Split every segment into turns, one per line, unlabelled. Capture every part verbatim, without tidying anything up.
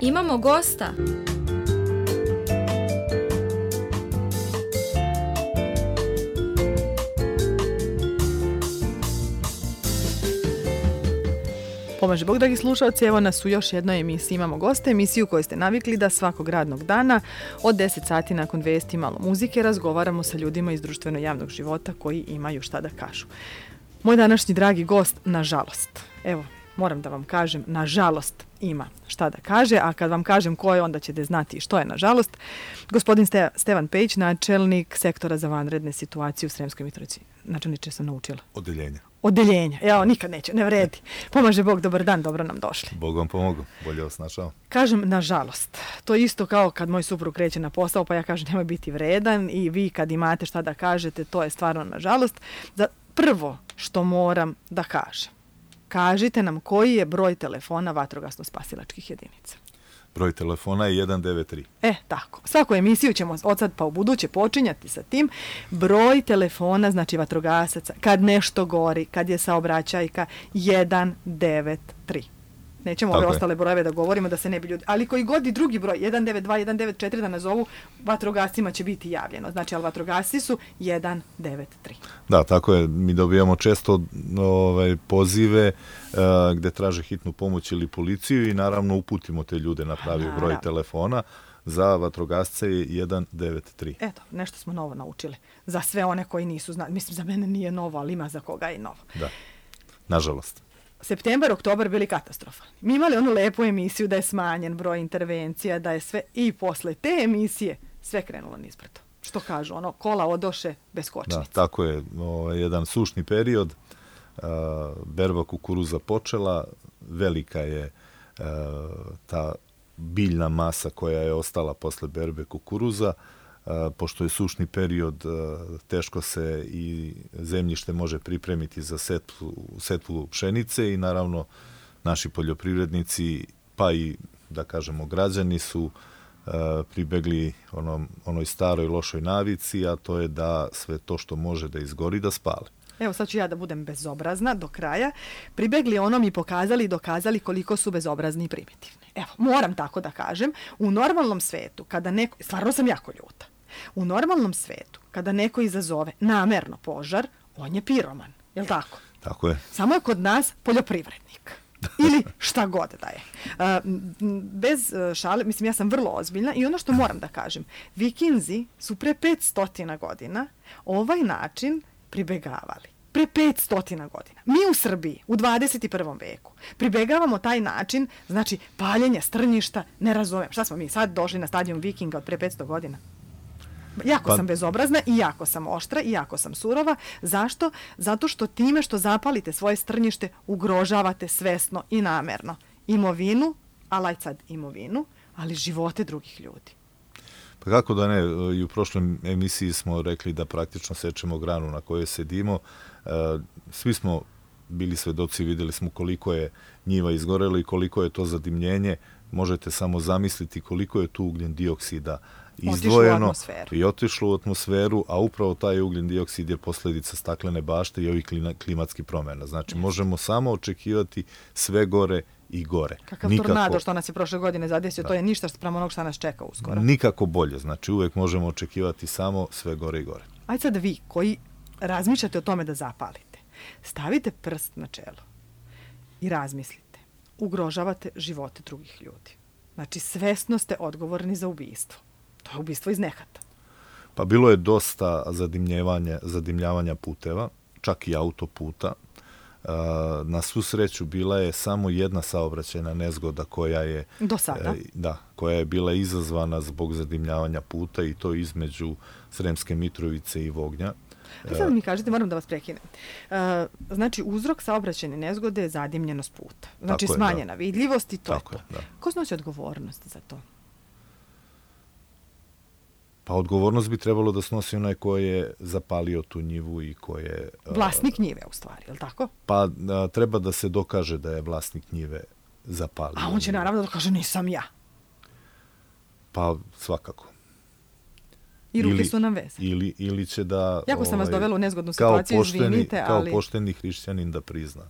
Imamo gosta.
Pomaže Bog, dragi slušalci, evo nas u još jednoj emisiji Imamo goste, emisiju koju ste navikli da svakog radnog dana od deset sati nakon vesti malo muzike razgovaramo sa ljudima iz društveno javnog života koji imaju šta da kažu. Moj današnji dragi gost, nažalost, evo, moram da vam kažem, nažalost ima šta da kaže, a kad vam kažem ko je, onda ćete znati što je nažalost. Gospodin Ste, Stevan Pejić, načelnik sektora za vanredne situacije u Sremskoj Mitrovici. Načelniče sam naučila.
Odeljenja.
Odeljenja. Evo, nikad neće, ne vredi. Pomaže Bog, dobar dan, dobro nam došli.
Bog vam pomogu, bolje vas našao.
Kažem, nažalost, to je isto kao kad moj suprug kreće na posao, pa ja kažem nemoj biti vredan i vi kad imate šta da kažete, to je stvarno nažalost. Za prvo što moram da kažem, kažite nam koji je broj telefona vatrogasno-spasilačkih jedinica.
Broj telefona je jedan devet tri.
E, tako. Svaku emisiju ćemo od sad pa u buduće počinjati sa tim. Broj telefona, znači vatrogasaca, kad nešto gori, kad je saobraćajka, jedan devet tri. Nećemo ove ostale brojeve da govorimo da se ne bi ljudi... Ali koji god i drugi broj, jedan devet dva, jedan devet četiri da nazovu, vatrogascima će biti javljeno. Znači, ali vatrogasci su jedan devet tri.
Da, tako je. Mi dobijamo često ovaj, pozive uh, gde traže hitnu pomoć ili policiju i naravno uputimo te ljude na pravi broj naravno. telefona. Za vatrogasce je jedan devet tri.
Eto, nešto smo novo naučili. Za sve one koji nisu znali. Mislim, za mene nije novo, ali ima za koga i novo.
Da, nažalost.
Septembar, oktobar bili katastrofalni. Mi imali onu lepu emisiju da je smanjen broj intervencija, da je sve, i posle te emisije sve krenulo nizbrdo. Što kažu, ono, kola odoše bez kočnica.
Da, tako je, o, jedan sušni period, a, berba kukuruza počela, velika je a, ta biljna masa koja je ostala posle berbe kukuruza. Uh, pošto je sušni period, uh, teško se i zemljište može pripremiti za setvu, setvu pšenice i naravno naši poljoprivrednici, pa i da kažemo građani su uh, pribegli onom, onoj staroj lošoj navici, a to je da sve to što može da izgori da spale.
Evo sad ću ja da budem bezobrazna do kraja. Pribegli onom i pokazali i dokazali koliko su bezobrazni i primitivni. Evo, moram tako da kažem, u normalnom svetu, kada neko, stvarno sam jako ljuta, u normalnom svetu, kada neko izazove namerno požar, on je piroman, je li tako?
Tako je.
Samo je kod nas poljoprivrednik. Ili šta god da je. Bez šale, mislim, ja sam vrlo ozbiljna i ono što moram da kažem, Vikinzi su pre petsto godina ovaj način pribegavali. Pre petsto godina. Mi u Srbiji u dvadeset prvom veku pribegavamo taj način, znači paljenja strnjišta, ne razumem. Šta smo mi sad došli na stadijum Vikinga od pre petsto godina? Jako pa... sam bezobrazna i jako sam oštra i jako sam surova. Zašto? Zato što time što zapalite svoje strnjište ugrožavate svesno i namerno imovinu, alaj sad imovinu, ali živote drugih ljudi.
Pa kako da ne, i u prošloj emisiji smo rekli da praktično sečemo granu na kojoj sedimo. Svi smo bili svedoci, videli smo koliko je njiva izgorelo i koliko je to zadimljenje. Možete samo zamisliti koliko je tu ugljen dioksida izdvojeno i otišlo u atmosferu, a upravo taj ugljen dioksid je posljedica staklene bašte i ovih klimatskih promjena. Znači, možemo samo očekivati sve gore i gore.
Kakav nikako, tornado što nas je prošle godine zadesio, da. To je ništa sprem onog što nas čeka uskoro.
Nikako bolje, znači uvek možemo očekivati samo sve gore i gore.
Ajde sad vi koji razmišljate o tome da zapalite, stavite prst na čelo i razmislite. Ugrožavate živote drugih ljudi. Znači, svesno ste odgovorni za ubistvo. To je ubistvo iz nehata.
Pa bilo je dosta zadimljavanja, zadimljavanja puteva, čak i autoputa. Na svu sreću bila je samo jedna saobraćajna nezgoda koja je
do sada.
Da, koja je bila izazvana zbog zadimljavanja puta i to između Sremske Mitrovice i Vognja.
A sad mi kažete, moram da vas prekinem. Znači, uzrok saobraćajne nezgode je zadimljenost puta. Znači, je, smanjena da. vidljivost i to Tako je to. Je, da. Ko snosi odgovornost za to?
Pa odgovornost bi trebalo da snosi onaj ko je zapalio tu njivu i ko je...
Vlasnik njive, u stvari, je li tako?
Pa a, treba da se dokaže da je vlasnik njive zapalio.
A on će naravno da dokaže nisam ja.
Pa svakako.
I ruke ili, su nam vezane.
Ili, ili će da...
Jako sam ovaj, vas dovela u nezgodnu situaciju,
pošteni,
izvinite, ali...
Kao pošteni hrišćanin da prizna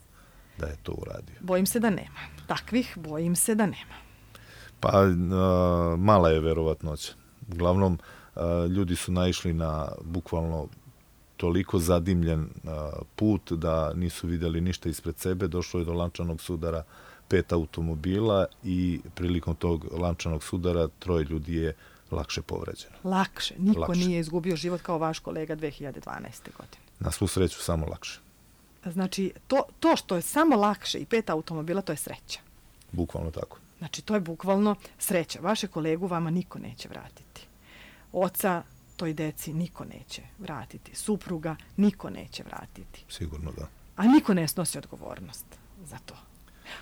da je to uradio.
Bojim se da nema. Takvih bojim se da nema.
Pa a, mala je verovatnoća. Uglavnom, a, ljudi su naišli na bukvalno toliko zadimljen a, put da nisu vidjeli ništa ispred sebe. Došlo je do lančanog sudara pet automobila i prilikom tog lančanog sudara troje ljudi je lakše povređeno.
Lakše. Niko
lakše.
Nije izgubio život kao vaš kolega dve hiljade dvanaeste. godine.
Na svu sreću samo lakše.
Znači, to, to što je samo lakše i pet automobila, to je sreća.
Bukvalno tako.
Znači, to je bukvalno sreća. Vaše kolegu vama niko neće vratiti. Oca toj deci niko neće vratiti. Supruga niko neće vratiti.
Sigurno da.
A niko ne snosi odgovornost za to.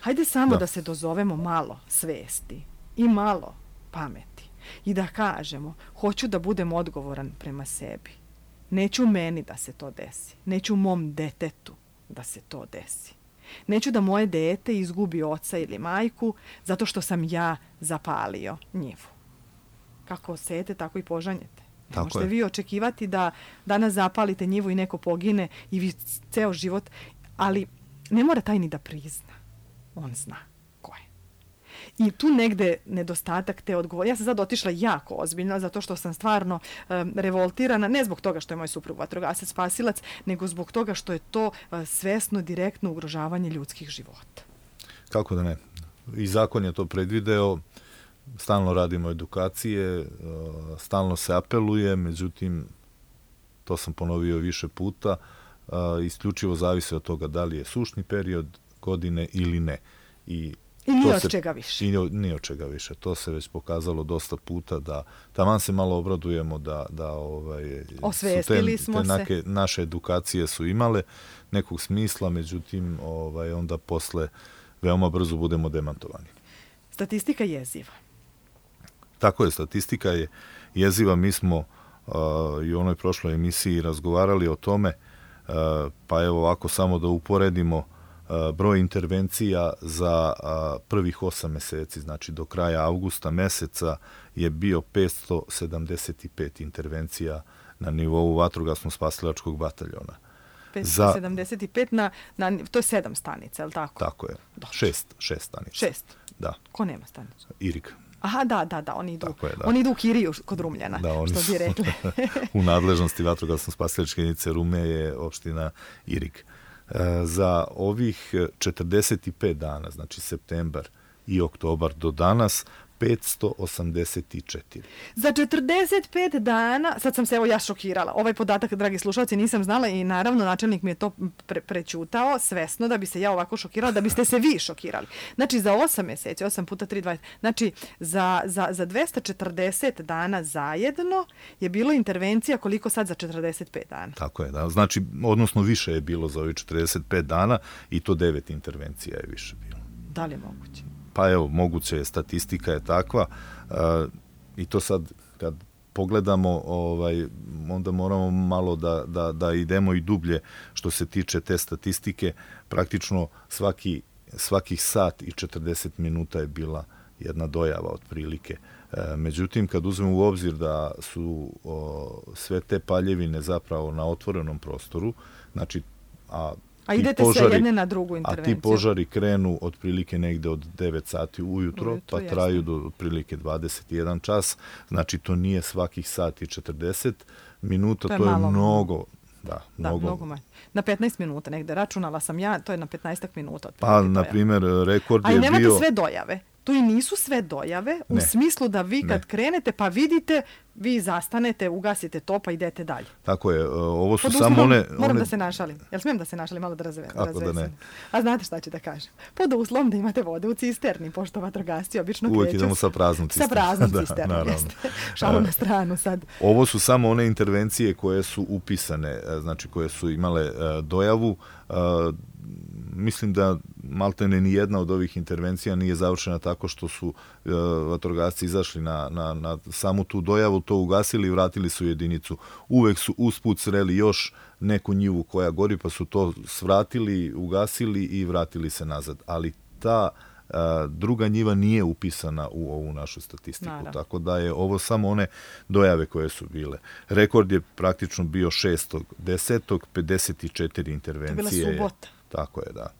Hajde samo da,
da
se dozovemo malo svesti i malo pameti i da kažemo, hoću da budem odgovoran prema sebi. Neću meni da se to desi. Neću mom detetu da se to desi. Neću da moje dete izgubi oca ili majku zato što sam ja zapalio njivu. Kako sejete, tako i požanjete. Ne
tako
možete
je.
vi očekivati da danas zapalite njivu i neko pogine i vi ceo život, ali ne mora taj ni da prizna. On zna ko je. I tu negde nedostatak te odgovor. Ja sam sad otišla jako ozbiljno zato što sam stvarno um, revoltirana, ne zbog toga što je moj suprug vatrogasac spasilac, nego zbog toga što je to uh, svesno, direktno ugrožavanje ljudskih života.
Kako da ne? I zakon je to predvideo, stalno radimo edukacije, stalno se apeluje, međutim, to sam ponovio više puta, isključivo zavisi od toga da li je sušni period godine ili ne. I
I nije
od
čega više.
I nije od čega više. To se već pokazalo dosta puta da taman se malo obradujemo da, da ovaj,
osvestili
su te,
smo
te nake,
se.
naše edukacije su imale nekog smisla, međutim ovaj, onda posle veoma brzo budemo demantovani.
Statistika je jeziva.
Tako je, statistika je jeziva. Mi smo uh, i u onoj prošloj emisiji razgovarali o tome, uh, pa evo ovako samo da uporedimo uh, broj intervencija za uh, prvih osam meseci, znači do kraja avgusta meseca je bio petsto sedamdeset pet intervencija na nivou vatrogasno-spasilačkog bataljona.
petsto sedamdeset pet na, na, to je sedam stanica, je li tako?
Tako je, šest, šest stanica.
Šest?
Da.
Ko nema stanicu?
Irig.
Aha, da, da, da, oni idu,
je, da.
oni idu u Kiriju kod Rumljana,
da, oni
što bi rekli.
U nadležnosti vatrogasno-spasilačke jedinice Rume je opština Irig. E, za ovih četrdeset pet dana, znači septembar i oktobar do danas, petsto osamdeset četiri.
Za četrdeset pet dana, sad sam se evo ja šokirala, ovaj podatak, dragi slušalci, nisam znala i naravno načelnik mi je to pre prećutao svesno da bi se ja ovako šokirala, da biste se vi šokirali. Znači za osam mjeseci, osam puta tri, dvadeset, znači za, za, za dvesta četrdeset dana zajedno je bilo intervencija koliko sad za četrdeset pet dana.
Tako je, da. Znači, odnosno više je bilo za ovih četrdeset pet dana i to devet intervencija je više bilo.
Da li je moguće?
Pa evo, moguće je, statistika je takva uh, i to sad kad pogledamo, ovaj, onda moramo malo da, da, da idemo i dublje što se tiče te statistike. Praktično svaki, svakih sat i četrdeset minuta je bila jedna dojava otprilike. Uh, međutim, kad uzmemo u obzir da su o, sve te paljevine zapravo na otvorenom prostoru, znači, a
A idete
požari,
sve jedne na drugu intervenciju.
A ti požari krenu otprilike negde od devet sati ujutro, ujutro pa jasno. Traju do otprilike dvadeset jedan čas. Znači, to nije svakih sati četrdeset minuta, to je, to je mnogo. Da,
da,
mnogo.
mnogo manje. Na petnaest minuta negde, računala sam ja, to je na petnaest minuta.
Pa, na primjer, rekord je bio...
A i nemate sve dojave. Tu i nisu sve dojave, u ne. smislu da vi kad ne. krenete pa vidite, vi zastanete, ugasite to pa idete dalje.
Tako je, ovo su
Pod
samo
uslovom,
one...
Moram
one...
da se našalim. Jel smijem da se našalim, malo da razvesem?
Kako da ne?
A znate šta ću da kažem? Pod uslovom da imate vode u cisterni, pošto vatrogasci obično kreću...
Uvijek idemo sa praznom cisternom.
Sa praznom cisternom, da, jeste. Šalu na stranu sad.
Ovo su samo one intervencije koje su upisane, znači koje su imale dojavu. Mislim da maltene ni jedna od ovih intervencija nije završena tako što su uh, vatrogasci izašli na, na, na samu tu dojavu, to ugasili i vratili su jedinicu. Uvek su usput sreli još neku njivu koja gori, pa su to svratili, ugasili i vratili se nazad. Ali ta uh, druga njiva nije upisana u ovu našu statistiku. Naravno. Tako da je ovo samo one dojave koje su bile. Rekord je praktično bio šestog desetog pedeset četiri intervencije.
To je bila subota.
Tako je, da.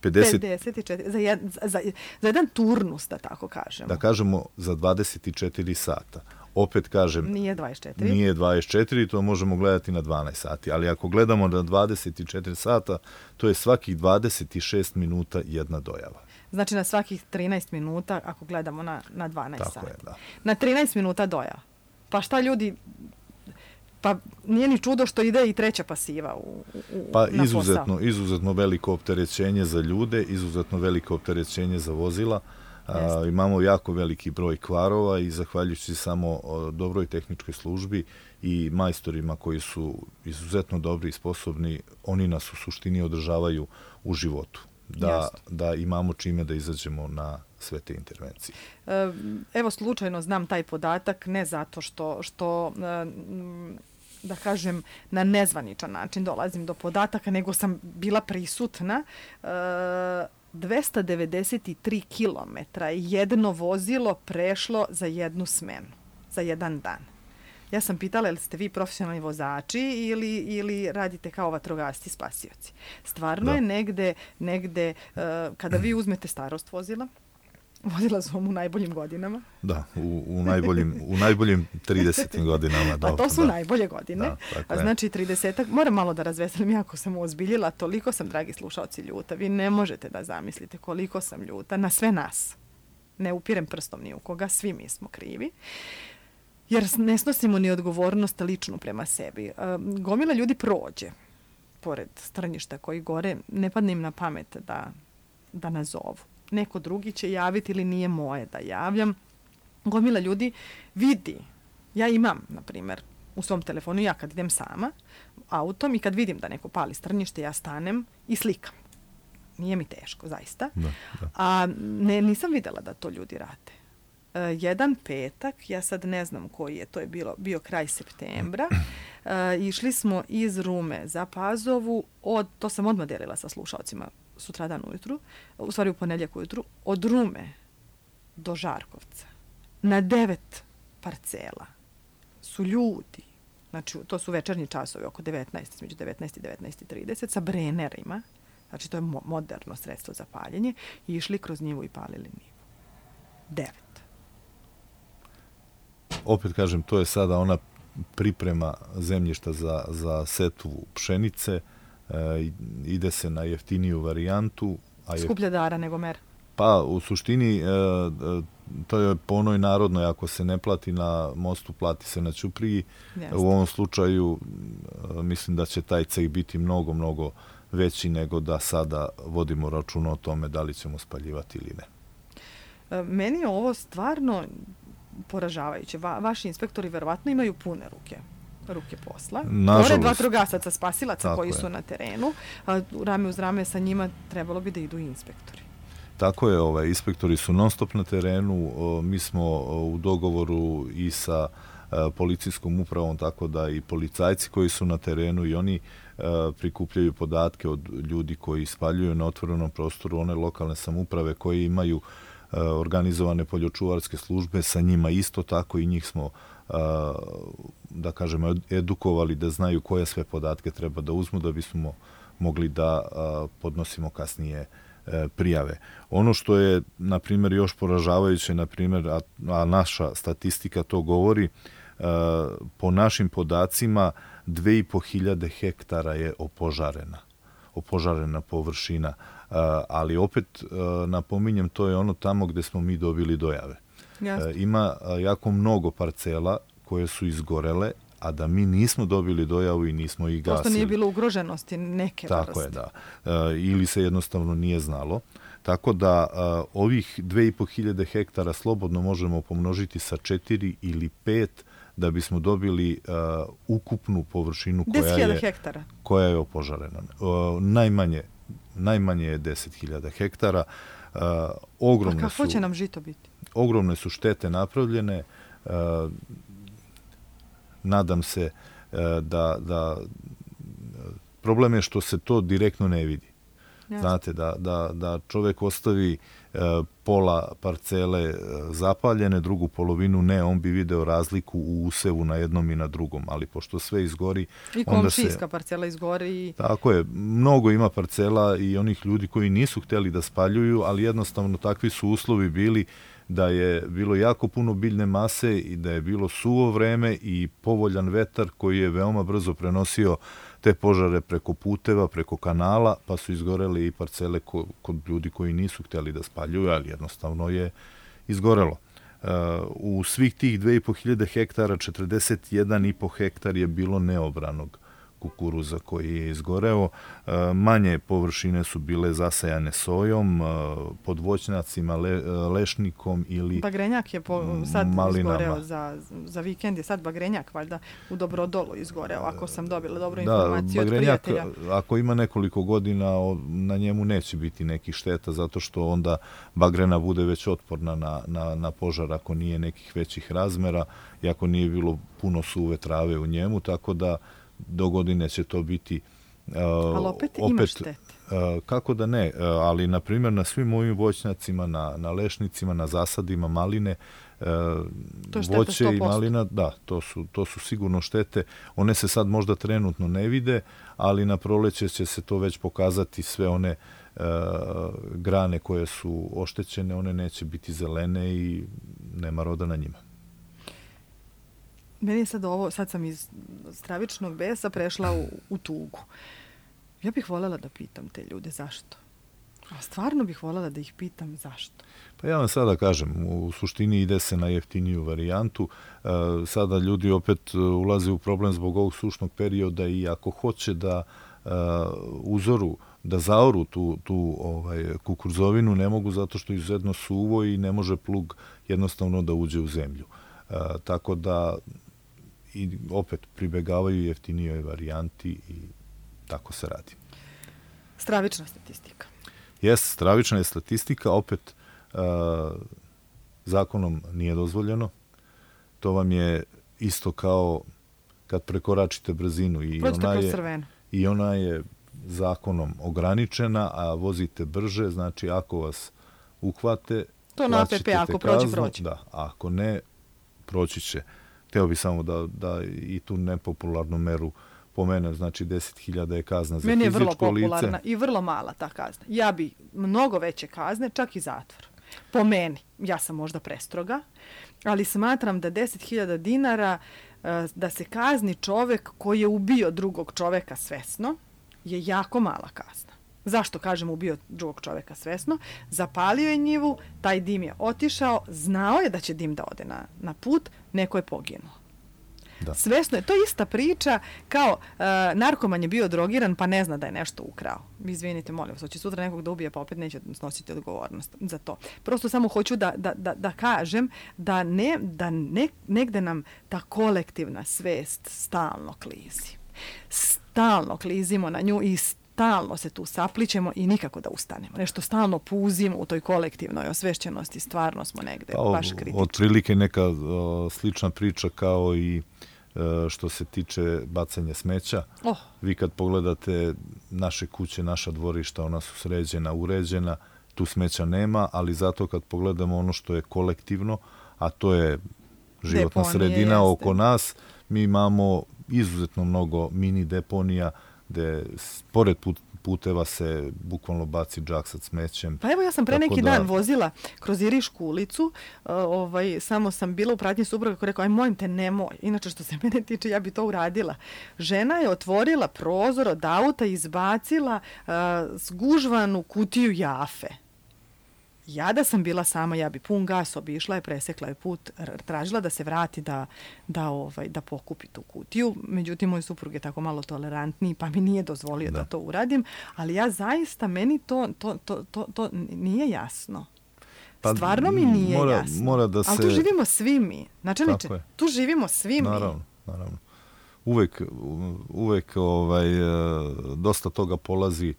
pedeset,
pedeset četiri, za, jed, za, za, za jedan turnus, da tako kažemo.
Da kažemo za dvadeset četiri sata. Opet kažem,
nije dvadeset četiri.
Nije dvadeset četiri, to možemo gledati na dvanaest sati, ali ako gledamo na dvadeset četiri sata, to je svakih dvadeset šest minuta jedna dojava.
Znači na svakih trinaest minuta, ako gledamo na, na dvanaest
Tako
sati.
je, da.
Na trinaest minuta dojava. Pa šta ljudi... Pa nije ni čudo što ide i treća pasiva u, u,
pa
na
izuzetno,
posao.
izuzetno veliko opterećenje za ljude, izuzetno veliko opterećenje za vozila. A, imamo jako veliki broj kvarova i zahvaljujući samo dobroj tehničkoj službi i majstorima koji su izuzetno dobri i sposobni, oni nas u suštini održavaju u životu. Da, da imamo čime da izađemo na sve te intervencije.
Evo, slučajno znam taj podatak, ne zato što, što da kažem, na nezvaničan način dolazim do podataka, nego sam bila prisutna. dvesta devedeset tri kilometra je jedno vozilo prešlo za jednu smenu, za jedan dan. Ja sam pitala, jel ste vi profesionalni vozači ili, ili radite kao vatrogasci spasioci? Stvarno da. je negde, negde uh, kada vi uzmete starost vozila, vozila su vam u najboljim godinama.
Da, u, u, najboljim, u najboljim tridesetim godinama.
Pa to su
da.
najbolje godine.
Da,
A znači tridesetak, moram malo da razveselim, jako sam ozbiljila, toliko sam, dragi slušalci, ljuta. Vi ne možete da zamislite koliko sam ljuta na sve nas. Ne upirem prstom ni u koga, svi mi smo krivi. Jer ne snosimo ni odgovornost ličnu prema sebi. Gomila ljudi prođe pored strnjišta koji gore, ne padne im na pamet da, da nazovu. Neko drugi će javiti ili nije moje da javljam. Gomila ljudi vidi. Ja imam, na primjer, u svom telefonu, ja kad idem sama autom i kad vidim da neko pali strnjište, ja stanem i slikam. Nije mi teško, zaista.
Da, da.
A ne, nisam vidjela da to ljudi rade. Uh, jedan petak, ja sad ne znam koji je, to je bilo, bio kraj septembra, uh, išli smo iz Rume za Pazovu, od, to sam odmah delila sa slušalcima sutradan ujutru, u stvari u ponedjeljak ujutru, od Rume do Žarkovca, na devet parcela su ljudi, znači to su večernji časovi, oko devetnaest, između devetnaest i devetnaest i trideset, sa brenerima, znači to je mo- moderno sredstvo za paljenje, i išli kroz njivu i palili njivu. Devet.
Opet kažem, to je sada ona priprema zemljišta za, za setvu pšenice, e, ide se na jeftiniju varijantu. A je,
skuplje dara nego mer.
Pa, u suštini, e, to je po onoj narodnoj, ako se ne plati na mostu, plati se na ćupriji.
Jeste. U
ovom slučaju, e, mislim da će taj ceh biti mnogo, mnogo veći nego da sada vodimo računa o tome da li ćemo spaljivati ili ne.
E, meni je ovo stvarno poražavajuće. Va, vaši inspektori verovatno imaju pune ruke ruke posla.
Nažalost.
Pored vatrogasaca, spasilaca
Tako
koji
je.
su na terenu, a rame uz rame sa njima trebalo bi da idu inspektori.
Tako je, ovaj, inspektori su non stop na terenu, o, mi smo o, u dogovoru i sa a, policijskom upravom, tako da i policajci koji su na terenu i oni a, prikupljaju podatke od ljudi koji spaljuju na otvorenom prostoru, one lokalne samouprave koje imaju organizovane poljočuvarske službe, sa njima isto tako i njih smo, da kažemo, edukovali da znaju koje sve podatke treba da uzmu da bismo mogli da podnosimo kasnije prijave. Ono što je, na primjer, još poražavajuće, na primjer, a, a naša statistika to govori, po našim podacima dve i po hiljade hektara je opožarena. opožarena površina. Uh, ali opet uh, napominjem, to je ono tamo gde smo mi dobili dojave. Uh, ima uh, jako mnogo parcela koje su izgorele, a da mi nismo dobili dojavu i nismo ih gasili.
Prosto nije bilo ugroženosti neke vrste.
Tako je, da. Uh, ili se jednostavno nije znalo. Tako da uh, ovih dve i po hiljade hektara slobodno možemo pomnožiti sa četiri ili pet da bismo dobili uh, ukupnu površinu koja je,
hektara.
koja je opožarena. Uh, najmanje Najmanje je deset hiljada hektara. Uh, ogromne
A kako
su,
će nam žito biti?
Ogromne su štete napravljene. Uh, nadam se uh, da, da problem je što se to direktno ne vidi.
jasno.
Znate, da, da, da čovjek ostavi e, pola parcele e, zapaljene, drugu polovinu ne, on bi video razliku u usevu na jednom i na drugom, ali pošto sve izgori...
I komšijska parcela izgori. I...
Tako je, mnogo ima parcela i onih ljudi koji nisu htjeli da spaljuju, ali jednostavno takvi su uslovi bili da je bilo jako puno biljne mase i da je bilo suvo vreme i povoljan vetar koji je veoma brzo prenosio te požare preko puteva, preko kanala, pa su izgorele i parcele ko, kod ljudi koji nisu htjeli da spaljuju, ali jednostavno je izgorelo. Uh, u svih tih dve i po hiljade hektara, četrdeset jedan i po hektar je bilo neobranog kukuruza koji je izgoreo. Manje površine su bile zasajane sojom, pod voćnjacima, le, lešnikom ili
Bagrenjak je po, sad
malinama.
Izgoreo za, za vikend, je sad Bagrenjak valjda u Dobrodolu izgoreo, ako sam dobila dobru informaciju
da,
od prijatelja.
Ako ima nekoliko godina, na njemu neće biti nekih šteta, zato što onda bagrena bude već otporna na, na, na požar ako nije nekih većih razmera i ako nije bilo puno suve trave u njemu, tako da do godine će to biti... Uh,
ali opet, opet ima štete.
Uh, kako da ne, uh, ali na primjer na svim ovim voćnjacima, na, na lešnicima, na zasadima maline, uh, voće sto posto. I malina, da, to su, to su sigurno štete. One se sad možda trenutno ne vide, ali na proleće će se to već pokazati, sve one uh, grane koje su oštećene, one neće biti zelene i nema roda na njima.
Meni je sad ovo, sad sam iz stravičnog besa prešla u, u tugu. Ja bih voljela da pitam te ljude zašto. A stvarno bih voljela da ih pitam zašto.
Pa ja vam sada kažem, u suštini ide se na jeftiniju varijantu. E, sada ljudi opet ulaze u problem zbog ovog sušnog perioda i ako hoće da e, uzoru, da zaoru tu, tu ovaj, kukuruzovinu, ne mogu zato što je izuzetno suvo i ne može plug jednostavno da uđe u zemlju. E, tako da i opet pribegavaju jeftinijoj varijanti i tako se radi.
Stravična statistika.
Jes, stravična je statistika, opet uh, zakonom nije dozvoljeno. To vam je isto kao kad prekoračite brzinu i ona, je, i ona je zakonom ograničena, a vozite brže, znači ako vas uhvate,
to na A P P, ako prođe, prođe.
Da, ako ne, proći će. Hteo bi samo da, da i tu nepopularnu meru pomenem, znači deset hiljada je kazna za fizičko lice.
Meni je vrlo popularna lice. I vrlo mala ta kazna. Ja bi mnogo veće kazne, čak i zatvor. Po meni, ja sam možda prestroga, ali smatram da deset hiljada dinara da se kazni čovek koji je ubio drugog čoveka svesno je jako mala kazna. Zašto kažem ubio drugog čoveka svesno? Zapalio je njivu, taj dim je otišao, znao je da će dim da ode na, na put, neko je poginuo. Da. Svesno je, to je ista priča kao uh, narkoman je bio drogiran pa ne zna da je nešto ukrao. Vi izvinite, molim vas, hoće sutra nekog da ubije pa opet neće snositi odgovornost za to. Prosto samo hoću da, da, da, da kažem da, ne, da ne, negde nam ta kolektivna svest stalno klizi. Stalno klizimo na nju i stalno se tu saplićemo i nikako da ustanemo. Nešto stalno puzimo u toj kolektivnoj osvešćenosti, stvarno smo negde pa, baš kritični.
Otprilike neka o, slična priča kao i e, što se tiče bacanja smeća. Oh. Vi kad pogledate naše kuće, naša dvorišta, ona su sređena, uređena, tu smeća nema, ali zato kad pogledamo ono što je kolektivno, a to je životna deponije, sredina jeste. Oko nas, mi imamo izuzetno mnogo mini deponija, gde pored put, puteva se bukvalno baci džak sa smećem. Pa
evo ja sam pre neki da... dan vozila kroz Irišku ulicu, uh, ovaj, samo sam bila u pratnji supruga koji rekao, aj molim te, nemoj. Inače što se mene tiče, ja bi to uradila. Žena je otvorila prozor od auta i izbacila uh, zgužvanu kutiju jafe. Ja da sam bila sama, ja bi pun gas obišla je, presekla je put, tražila da se vrati da, da, ovaj, da pokupi tu kutiju. Međutim, moj suprug je tako malo tolerantniji, pa mi nije dozvolio da, da to uradim. Ali ja zaista, meni to, to, to, to, to nije jasno. Pa, stvarno mi nije
mora,
jasno.
Mora da se...
Ali tu živimo svi mi. Načelniče, tu živimo svi mi.
Naravno, naravno. Uvek, uvek ovaj, dosta toga polazi,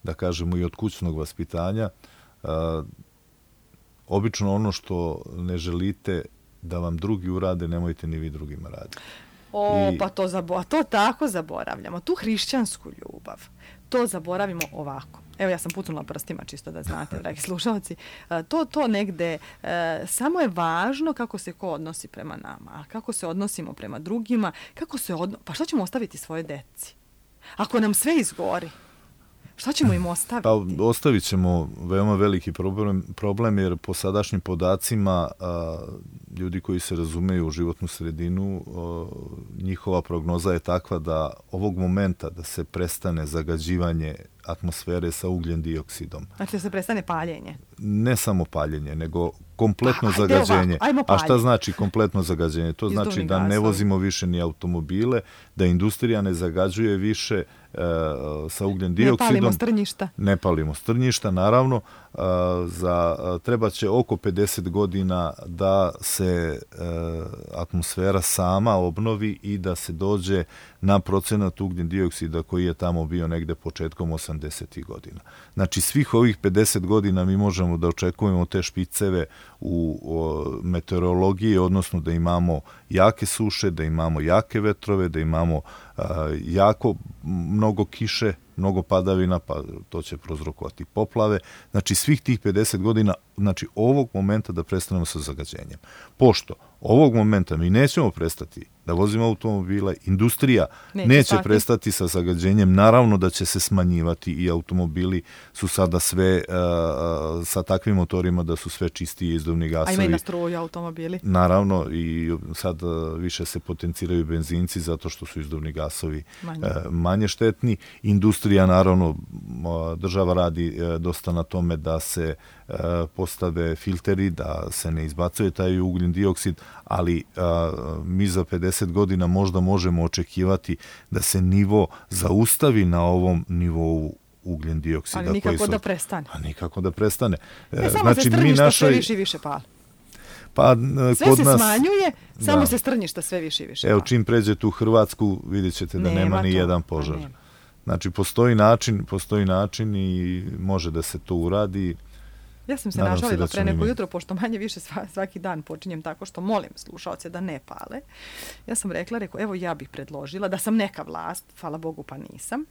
da kažemo, i od kućnog vaspitanja. Uh, obično ono što ne želite da vam drugi urade, nemojte ni vi drugima raditi.
O, I... pa to, zabo- to tako zaboravljamo. Tu hrišćansku ljubav. To zaboravimo ovako. evo ja sam pucnula prstima čisto da znate, dragi slušalci, to, to negde, samo je važno kako se ko odnosi prema nama, a kako se odnosimo prema drugima, kako se odno... pa šta ćemo ostaviti svoje deci? Ako nam sve izgori, šta ćemo im ostaviti?
Pa ostavit ćemo veoma veliki problem, problem jer po sadašnjim podacima a, ljudi koji se razumeju u životnu sredinu, a, njihova prognoza je takva da ovog momenta da se prestane zagađivanje atmosfere sa ugljen dioksidom.
Znači da se prestane paljenje?
Ne samo paljenje, nego kompletno
pa,
zagađenje.
Ovako, a šta
znači kompletno zagađenje? To znači da ne vozimo više ni automobile, da industrija ne zagađuje više e, sa ugljen dioksidom.
Ne palimo strnjišta.
Ne palimo strnjišta, naravno. E, za, treba će oko pedeset godina da se e, atmosfera sama obnovi i da se dođe na procenat ugljen dioksida koji je tamo bio negde početkom osamdesetih godina. Znači svih ovih pedeset godina mi možemo da očekujemo te špiceve u o, meteorologiji, odnosno da imamo jake suše, da imamo jake vetrove, da imamo a, jako mnogo kiše, mnogo padavina, pa to će prouzrokovati poplave. Znači svih tih pedeset godina, znači ovog momenta da prestanemo sa zagađenjem. Pošto ovog momenta mi nećemo prestati da vozimo automobile, industrija neće, neće prestati sa zagađenjem, naravno da će se smanjivati i automobili su sada sve uh, sa takvim motorima da su sve čistiji izduvni gasovi.
A ima i na struju automobili.
Naravno i sad uh, više se potenciraju benzinci zato što su izduvni gasovi manje, uh, manje štetni. Industrija, naravno, država radi uh, dosta na tome da se uh, postave filteri, da se ne izbacuje taj ugljen dioksid, ali uh, mi za pedeset godina možda možemo očekivati da se nivo zaustavi na ovom nivou ugljen dioksida.
Ali nikako
su,
da prestane.
A nikako da prestane.
Ne, samo znači, se strnjišta našoj... sve više i više pali.
Pa,
sve
kod
se
nas,
smanjuje, samo
da.
se strnjišta sve više i više
Evo,
pali.
čim pređete u Hrvatsku, vidjet ćete da nema, nema ni jedan požar. Nema. Znači, postoji način, postoji način i može da se to uradi.
Ja sam se Nadam našalila se pre neko jutro, pošto manje više svaki dan počinjem tako što molim slušaoce da ne pale. Ja sam rekla, rekao, evo ja bih predložila da sam neka vlast, hvala Bogu pa nisam,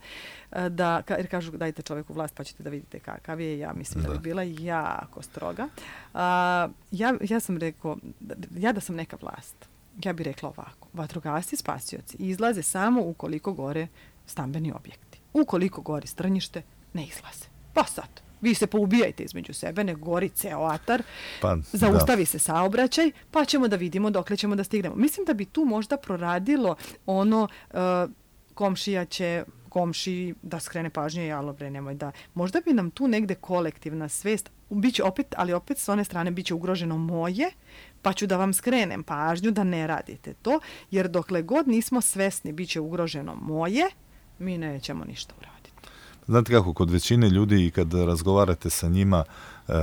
da, jer kažu dajte čoveku vlast pa ćete da vidite kakav je, ja mislim da, da bi bila jako stroga. A, ja, ja sam rekao, ja da sam neka vlast, ja bih rekla ovako, vatrogasci, spasioci izlaze samo ukoliko gore stambeni objekti. Ukoliko gori strnjište, ne izlaze. Pa sad. Vi se poubijajte između sebe, ne gori ceo atar, pa, zaustavi da. se saobraćaj, pa ćemo da vidimo dokle ćemo da stignemo. Mislim da bi tu možda proradilo ono uh, komšija će komši da skrene pažnje, jalo bre, nemoj da. Možda bi nam tu negde kolektivna svest, biće opet, ali opet s one strane biće ugroženo moje, pa ću da vam skrenem pažnju da ne radite to, jer dokle god nismo svesni biće ugroženo moje, mi nećemo ništa uraditi.
Znate kako, kod većine ljudi i kad razgovarate sa njima, uh,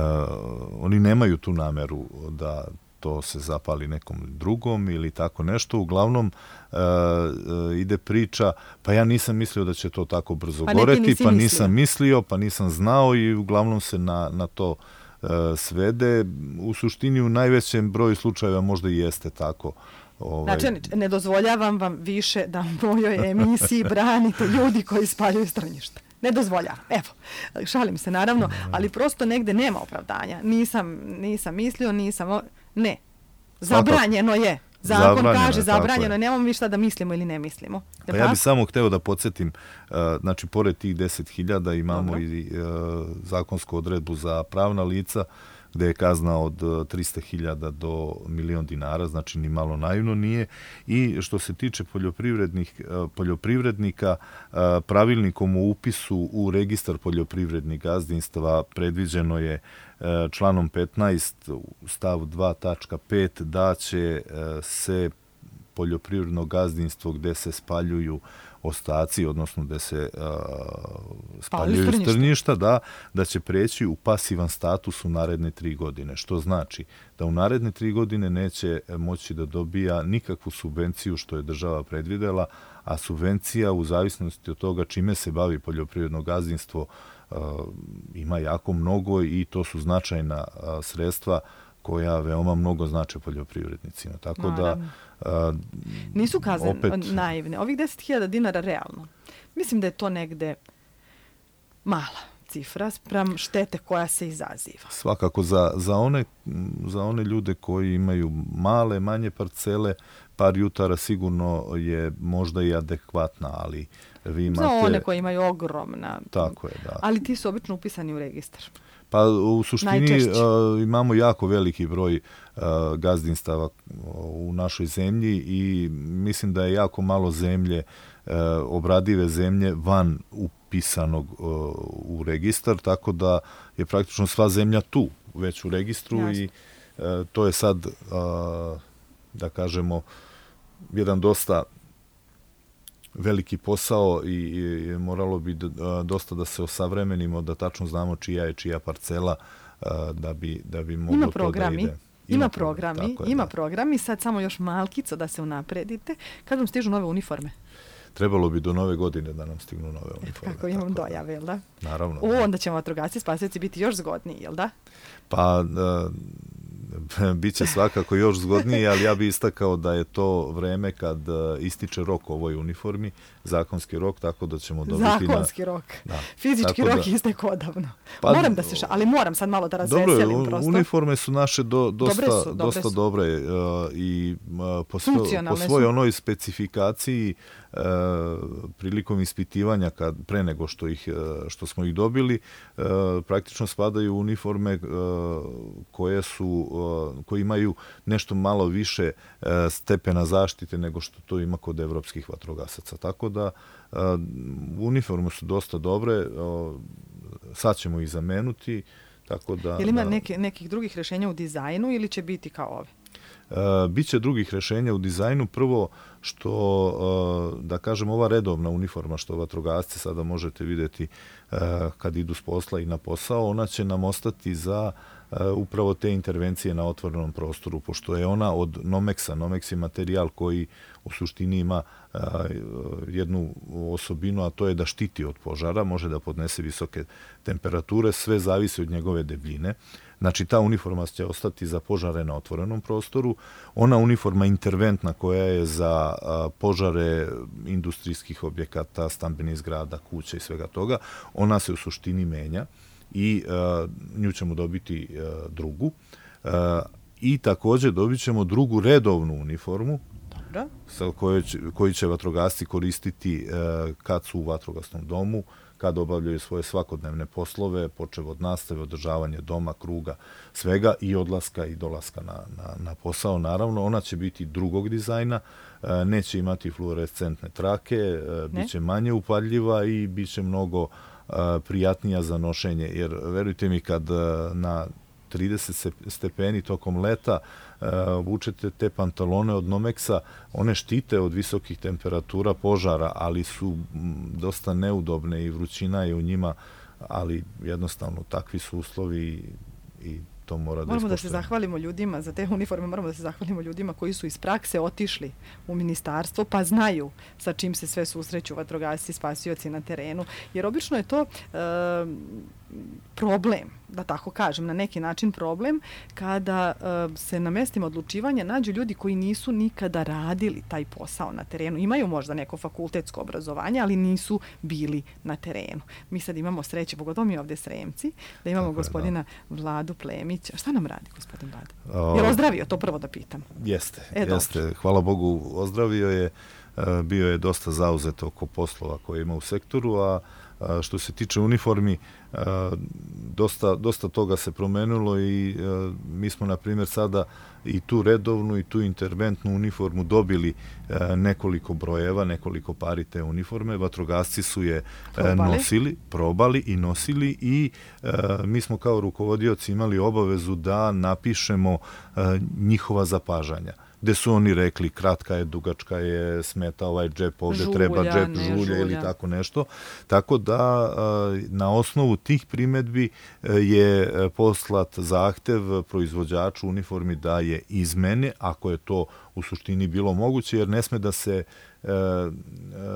oni nemaju tu nameru da to se zapali nekom drugom ili tako nešto. Uglavnom uh, uh, ide priča, pa ja nisam mislio da će to tako brzo
pa
goreti, pa nisam mislio, pa nisam znao i uglavnom se na, na to uh, svede. U suštini u najvećem broju slučajeva možda i jeste tako.
Ovaj... Znači, ne dozvoljavam vam više da u mojoj emisiji branite ljudi koji spaljuju strnjišta. Ne dozvolja. Evo, šalim se naravno, ali prosto negde nema opravdanja. Nisam, nisam mislio, nisam... O... Ne. Zabranjeno je. Zakon zabranjeno kaže, je, zabranjeno je. Nemamo mi šta da mislimo ili ne mislimo.
Pa pa ja bih samo hteo da podsjetim, uh, znači, pored tih deset hiljada imamo Dobro. i uh, zakonsku odredbu za pravna lica, gde je kazna od trista hiljada do milion dinara, znači ni malo naivno nije. I što se tiče poljoprivrednih, poljoprivrednika, pravilnikom o upisu u registar poljoprivrednih gazdinstava predviđeno je članom petnaest stav dva tačka pet da će se poljoprivredno gazdinstvo gde se spaljuju ostaci, odnosno gde se uh, spaljuju strnjišta, da, da će preći u pasivan status u naredne tri godine. Što znači da u naredne tri godine neće moći da dobija nikakvu subvenciju što je država predvidela, a subvencija u zavisnosti od toga čime se bavi poljoprivredno gazdinstvo uh, ima jako mnogo i to su značajna uh, sredstva koja veoma mnogo znače poljoprivrednicima. Tako Naravno. da... Uh,
Nisu kazne opet... naivne. Ovih deset hiljada dinara realno. Mislim da je to negde mala cifra sprem štete koja se izaziva.
Svakako za, za, one, za one ljude koji imaju male, manje parcele, par jutara sigurno je možda i adekvatna, ali vi imate...
Za one koji imaju ogromna...
Tako je, da.
Ali ti su obično upisani u registar.
Pa u suštini uh, imamo jako veliki broj uh, gazdinstava u našoj zemlji i mislim da je jako malo zemlje, uh, obradive zemlje van upisanog uh, u registar, tako da je praktično sva zemlja tu, već u registru. Jasne. I uh, to je sad, uh, da kažemo, jedan dosta veliki posao i, i moralo bi da, dosta da se osavremenimo, da tačno znamo čija je čija parcela, da bi, da bi moglo
ima
to
programi,
da ide.
Ima, ima programi, je, ima da. programi, sad samo još malkico da se unapredite. Kad vam stižu nove uniforme?
Trebalo bi do nove godine da nam stignu nove uniforme.
Kako imam dojave, jel da?
Naravno.
O, onda ćemo vatrogasci spasioci biti još zgodniji, jel da?
Pa... Uh, Biće svakako još zgodnije, ali ja bih istakao da je to vreme kad ističe rok ovoj uniformi, zakonski rok, tako da ćemo dobiti...
Zakonski
na...
rok.
Da.
Fizički
tako
rok
da...
istek odavno. Pa, moram da se ša... Ali moram sad malo da razveselim
dobro,
prosto.
Uniforme su naše do, dosta
dobre, su, dobre,
dosta
su.
dobre uh, i uh, po, svo, po svoj onoj specifikaciji uh, prilikom ispitivanja kad, pre nego što, ih, uh, što smo ih dobili, uh, praktično spadaju uniforme uh, koje su uh, koji imaju nešto malo više uh, stepena zaštite nego što to ima kod evropskih vatrogasaca. Tako da uh, uniforme su dosta dobre, uh, sad ćemo ih zamenuti. Tako da,
je li ima
da,
neke, nekih drugih rješenja u dizajnu ili će biti kao ove?
Uh, Biće drugih rješenja u dizajnu. Prvo što, uh, da kažem, ova redovna uniforma što vatrogasci sada možete vidjeti uh, kad idu s posla i na posao, ona će nam ostati za uh, upravo te intervencije na otvorenom prostoru, pošto je ona od Nomexa. Nomex je materijal koji u suštini ima uh, jednu osobinu, a to je da štiti od požara, može da podnese visoke temperature, sve zavisi od njegove debljine. Znači, ta uniforma će ostati za požare na otvorenom prostoru. Ona uniforma interventna koja je za a, požare industrijskih objekata, stambenih zgrada, kuća i svega toga, ona se u suštini menja i a, nju ćemo dobiti a, drugu. A, I također dobit ćemo drugu redovnu uniformu,
Dobro.
sa kojoj će, koji će vatrogasci koristiti a, kad su u vatrogasnom domu, kad obavljaju svoje svakodnevne poslove, počev od nastave, održavanje doma, kruga, svega i odlaska i dolaska na, na, na posao. Naravno, ona će biti drugog dizajna, neće imati fluorescentne trake, ne? Bit će manje upadljiva i bit će mnogo prijatnija za nošenje, jer verujte mi kad na trideset stepeni tokom leta uh, vučete te pantalone od Nomexa, one štite od visokih temperatura požara, ali su m, dosta neudobne i vrućina je u njima, ali jednostavno takvi su uslovi i, i to mora da
moramo da se zahvalimo ljudima za te uniforme, moramo da se zahvalimo ljudima koji su iz prakse otišli u ministarstvo pa znaju sa čim se sve susreću vatrogasci, spasioci na terenu, jer obično je to uh, problem, da tako kažem, na neki način problem, kada uh, se na mestima odlučivanja nađu ljudi koji nisu nikada radili taj posao na terenu. Imaju možda neko fakultetsko obrazovanje, ali nisu bili na terenu. Mi sad imamo sreće, pogotovo mi ovdje Sremci, da imamo tako gospodina je, da. Vladu Plemića. Šta nam radi gospodin Vlada? O, je li ozdravio? To prvo da pitam.
Jeste,
e,
jeste. Dobro. Hvala Bogu, ozdravio je. Bio je dosta zauzet oko poslova koje ima u sektoru, a što se tiče uniformi, dosta, dosta toga se promenilo i mi smo, na primjer, sada i tu redovnu i tu interventnu uniformu dobili nekoliko brojeva, nekoliko pari te uniforme. Vatrogasci su je probali. nosili, probali i nosili i mi smo kao rukovodioci imali obavezu da napišemo njihova zapažanja, gde su oni rekli kratka je, dugačka je, smeta ovaj džep, ovdje žulja, treba džep, ne, žulja, žulja ili tako nešto. Tako da na osnovu tih primedbi je poslat zahtev proizvođaču uniformi da je izmene, ako je to u suštini bilo moguće, jer ne sme da se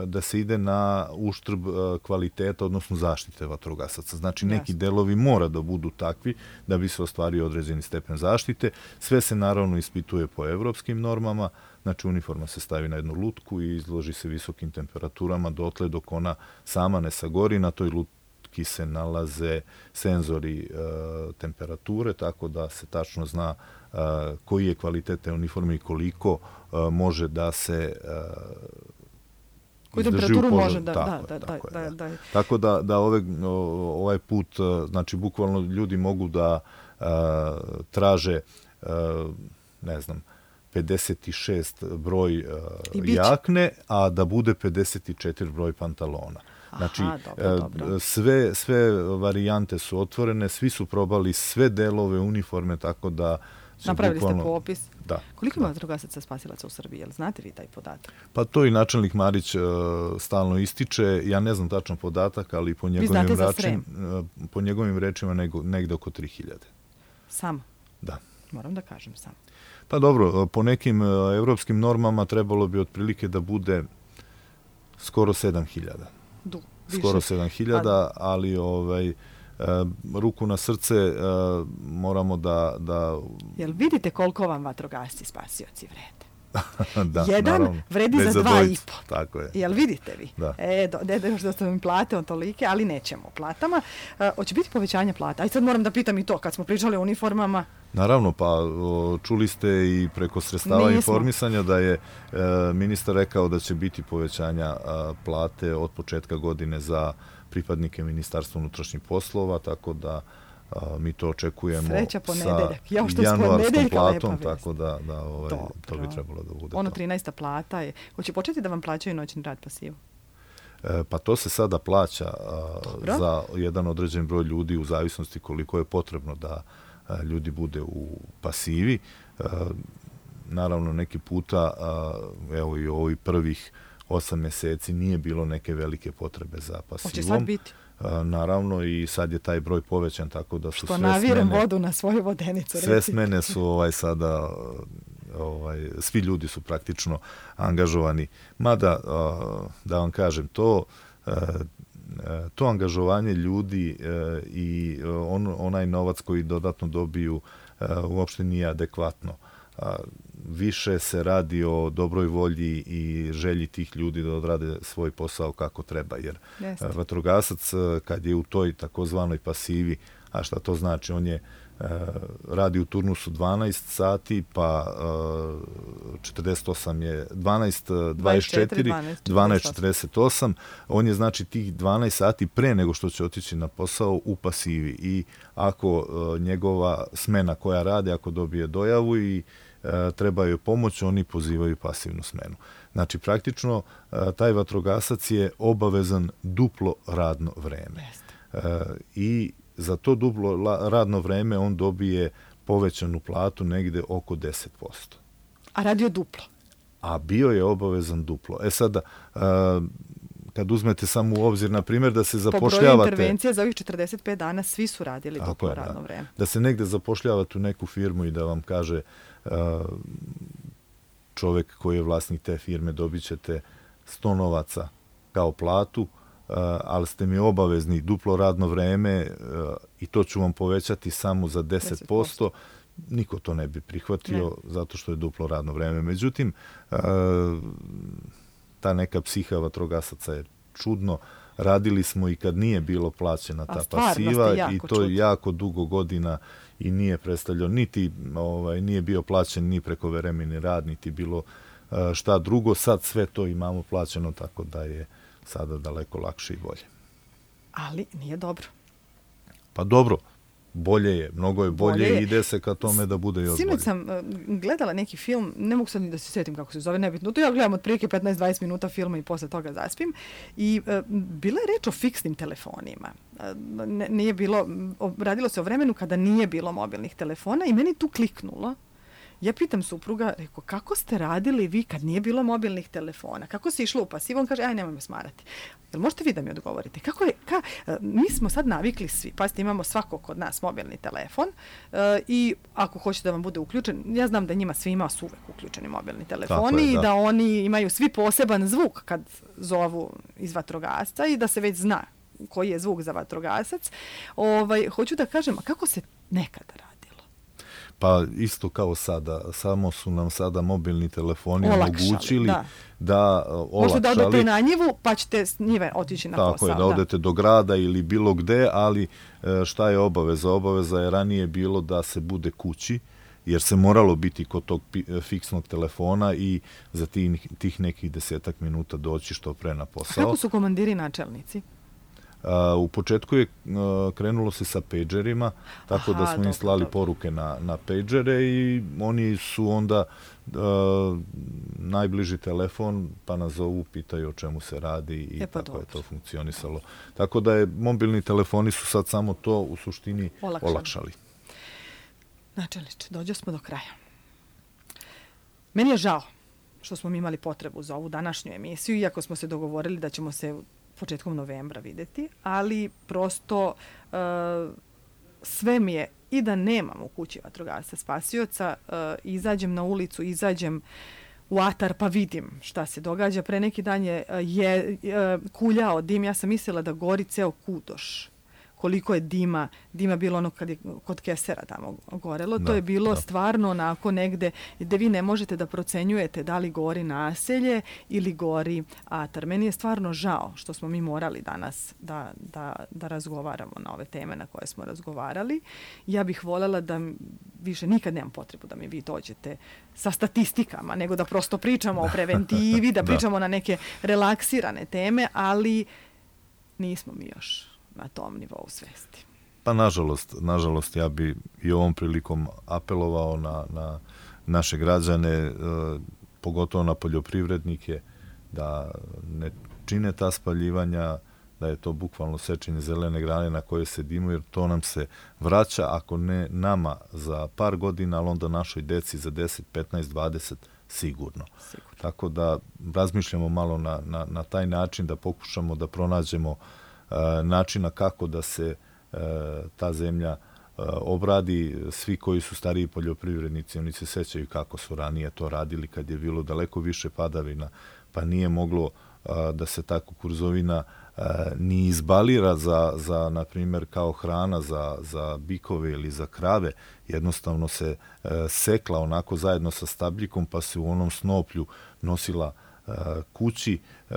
da se ide na uštrb kvaliteta, odnosno zaštite vatrogasaca. Znači, neki Jasne. delovi mora da budu takvi da bi se ostvario određeni stepen zaštite. Sve se naravno ispituje po evropskim normama. Znači, uniforma se stavi na jednu lutku i izloži se visokim temperaturama dotle dok ona sama ne sagori. Na toj lutki šutki se nalaze senzori e, temperature, tako da se tačno zna e, koji je kvalitet te uniforme i koliko e, može da se e,
koju temperaturu može da,
tako,
da, da,
tako,
da,
je,
da, da.
Tako da, da ove, ovaj put, znači bukvalno ljudi mogu da uh, traže, uh, ne znam, pedeset šest broj uh, jakne, a da bude pedeset četiri broj pantalona. Znači,
Aha, dobro, dobro.
Sve, sve varijante su otvorene, svi su probali sve delove uniforme, tako da
napravili
bukvalno,
ste popis.
Da.
Koliko ima vatrogasaca spasilaca u Srbiji? Jel znate vi taj podatak?
Pa to i načelnik Marić uh, stalno ističe. Ja ne znam tačan podatak, ali po njegovim, račin, uh, po njegovim rečima nego, negde oko tri hiljade.
Samo?
Da.
Moram da kažem samo.
Pa dobro, po nekim uh, evropskim normama trebalo bi otprilike da bude skoro sedam hiljada.
Du,
skoro sedam hiljada, ali ovaj, uh, ruku na srce uh, moramo da, da...
Jel vidite koliko vam vatrogasci spasioci vrede?
Da,
jedan
naravno,
vredi za dva i po.
Tako je.
Jel vidite vi?
Da.
E, do, da još da mi plate on tolike, ali nećemo o platama. Uh, hoće biti povećanje plata? Aj sad moram da pitam i to, kad smo pričali o uniformama.
Naravno, pa o, čuli ste i preko sredstava Nismo. informisanja da je e, ministar rekao da će biti povećanja a, plate od početka godine za pripadnike Ministarstva unutrašnjih poslova, tako da a, mi to očekujemo sa januarskom platom, tako da, da ovaj, to bi trebalo da bude.
Ono trinaesta plata je. Hoće početi da vam plaćaju noćni rad pasivu?
E, pa to se sada plaća a, za jedan određen broj ljudi u zavisnosti koliko je potrebno da a, ljudi bude u pasivi. A, naravno, neki puta, a, evo i ovih prvih osam mjeseci nije bilo neke velike potrebe za pasivom.
Hoće sad biti?
A, naravno, i sad je taj broj povećan, tako da su
Što
sve
navirem
smene,
vodu na svoju vodenicu.
Sve
recite.
smene su ovaj, sada... Ovaj, svi ljudi su praktično angažovani. Mada, da vam kažem, to, to angažovanje ljudi i on, onaj novac koji dodatno dobiju uopšte nije adekvatno. Više se radi o dobroj volji i želji tih ljudi da odrade svoj posao kako treba. Jer Jeste. vatrogasac, kad je u toj takozvanoj pasivi, a šta to znači, on je radi u turnusu dvanaest sati, pa četrdeset osam je dvanaest, dvadeset četiri, dvanaest, četrdeset osam. On je znači tih dvanaest sati pre nego što će otići na posao u pasivi. I ako njegova smena koja radi, ako dobije dojavu i treba joj pomoć, oni pozivaju pasivnu smenu. Znači, praktično, taj vatrogasac je obavezan duplo radno vreme. I za to duplo radno vreme on dobije povećanu platu negde oko deset posto.
A radio duplo?
A bio je obavezan duplo. E sada, kad uzmete samo u obzir, na primjer, da se zapošljavate...
Po broju intervencija za ovih četrdeset pet dana svi su radili duplo radno
da.
vreme.
Da se negde zapošljavate u neku firmu i da vam kaže čovjek koji je vlasnik te firme, dobit ćete sto novaca kao platu, Uh, ali ste mi obavezni duplo radno vreme uh, i to ću vam povećati samo za deset posto, niko to ne bi prihvatio ne. zato što je duplo radno vreme. Međutim, uh, ta neka psiha vatrogasaca je čudno. Radili smo i kad nije bilo plaćena ta pasiva i to čudno. jako dugo godina i nije predstavljao, niti ovaj, nije bio plaćen ni prekovremeni rad, niti bilo uh, šta drugo. Sad sve to imamo plaćeno, tako da je sada daleko lakše i bolje.
Ali nije dobro.
Pa dobro, bolje je, mnogo je bolje, bolje je. I ide se ka tome da bude još
Sinoć
bolje.
sam uh, gledala neki film, ne mogu sad ni da se sjetim kako se zove, nebitno, to ja gledam otprilike petnaest dvadeset minuta filma i posle toga zaspim. I uh, bila je reč o fiksnim telefonima. Uh, ne, nije bilo, radilo se o vremenu kada nije bilo mobilnih telefona i meni tu kliknulo. Ja pitam supruga, reko, kako ste radili vi kad nije bilo mobilnih telefona? Kako se išlo u pasivu? On kaže, aj, nemoj me smarati. Jel možete vi da mi odgovorite? Kako je, ka, mi smo sad navikli svi, pazite, imamo svako kod nas mobilni telefon uh, i ako hoćete da vam bude uključen, ja znam da njima svima su uvek uključeni mobilni telefoni je, da. i da oni imaju svi poseban zvuk kad zovu iz vatrogasca i da se već zna koji je zvuk za vatrogasac. Ovaj, hoću da kažem, a kako se nekada radi?
Pa isto kao sada, samo su nam sada mobilni telefoni
olakšali,
omogućili
da,
da olakšali.
Možete da odete na njivu, pa ćete s njive otići na
Tako
posao.
Tako je, da odete do grada ili bilo gde, ali šta je obaveza? Obaveza je ranije bilo da se bude kući, jer se moralo biti kod tog fiksnog telefona i za tih, tih nekih desetak minuta doći što pre na posao.
A kako su komandiri načelnici?
Uh, u početku je uh, krenulo se sa pagerima, tako Aha, da smo im slali dobro. poruke na, na pagere i oni su onda uh, najbliži telefon pa nas zovu, pitaju o čemu se radi i e pa tako dobro. je to funkcionisalo. Tako da je mobilni telefoni su sad samo to u suštini olakšali. olakšali.
Načelniče, dođo smo do kraja. Meni je žao što smo mi imali potrebu za ovu današnju emisiju, iako smo se dogovorili da ćemo se početkom novembra videti, ali prosto uh, sve mi je i da nemam u kući vatrogasca spasioca, uh, izađem na ulicu, izađem u atar pa vidim šta se događa. Pre neki dan je, je uh, kuljao dim, ja sam mislila da gori ceo Kudoš. Koliko je dima, dima bilo ono kad je kod Kesera tamo gorelo, da, to je bilo da. stvarno onako negde gde vi ne možete da procenjujete da li gori naselje ili gori atar. Meni je stvarno žao što smo mi morali danas da, da, da razgovaramo na ove teme na koje smo razgovarali. Ja bih voljela da više nikad nemam potrebu da mi vi dođete sa statistikama, nego da prosto pričamo o preventivi, da pričamo da. na neke relaksirane teme, ali nismo mi još na tom nivou svesti.
Pa nažalost, nažalost ja bi i ovom prilikom apelovao na, na naše građane, e, pogotovo na poljoprivrednike, da ne čine ta spaljivanja, da je to bukvalno sečenje zelene grane na koje sedimo, jer to nam se vraća, ako ne nama za par godina, ali onda našoj deci za deset, petnaest, dvadeset sigurno. sigurno. Tako da razmišljamo malo na, na, na taj način, da pokušamo da pronađemo načina kako da se e, ta zemlja e, obradi. Svi koji su stariji poljoprivrednici, oni se sećaju kako su ranije to radili kad je bilo daleko više padavina, pa nije moglo a, da se ta kukuruzovina a, ni izbalira za, za, na primjer, kao hrana za, za bikove ili za krave. Jednostavno se a, sekla onako zajedno sa stabljikom, pa se u onom snoplju nosila a, kući, a,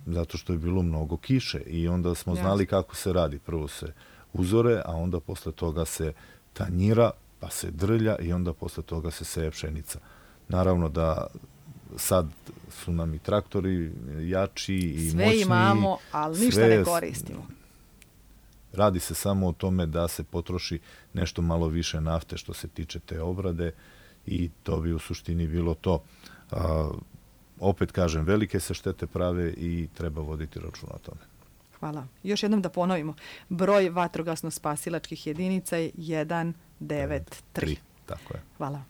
zato što je bilo mnogo kiše i onda smo znali kako se radi. Prvo se uzore, a onda posle toga se tanjira, pa se drlja i onda posle toga se seje pšenica. Naravno da sad su nam i traktori jači i
sve
moćniji.
Sve imamo, ali ništa ne koristimo.
Radi se samo o tome da se potroši nešto malo više nafte što se tiče te obrade i to bi u suštini bilo to. A, opet kažem, velike se štete prave i treba voditi računa o tome.
Hvala. Još jednom da ponovimo. Broj vatrogasno-spasilačkih jedinica je jedan devet tri.
Tako je.
Hvala.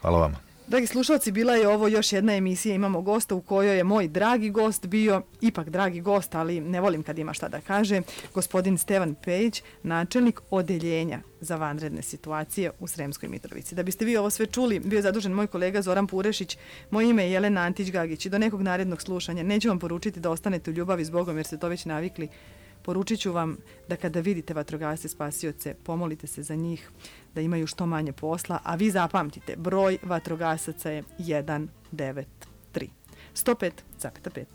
Hvala vama.
Dragi slušalci, bila je ovo još jedna emisija. Imamo gosta u kojoj je moj dragi gost bio, ipak dragi gost, ali ne volim kad ima šta da kaže, gospodin Stevan Pejić, načelnik odeljenja za vanredne situacije u Sremskoj Mitrovici. Da biste vi ovo sve čuli, bio je zadužen moj kolega Zoran Purešić, moje ime je Jelena Antić-Gagić i do nekog narednog slušanja neću vam poručiti da ostanete u ljubavi s Bogom jer ste to već navikli. Poručit ću vam da kada vidite vatrogasce spasioce, pomolite se za njih, da imaju što manje posla, a vi zapamtite, broj vatrogasaca je jedan devet tri. sto pet zarez pet.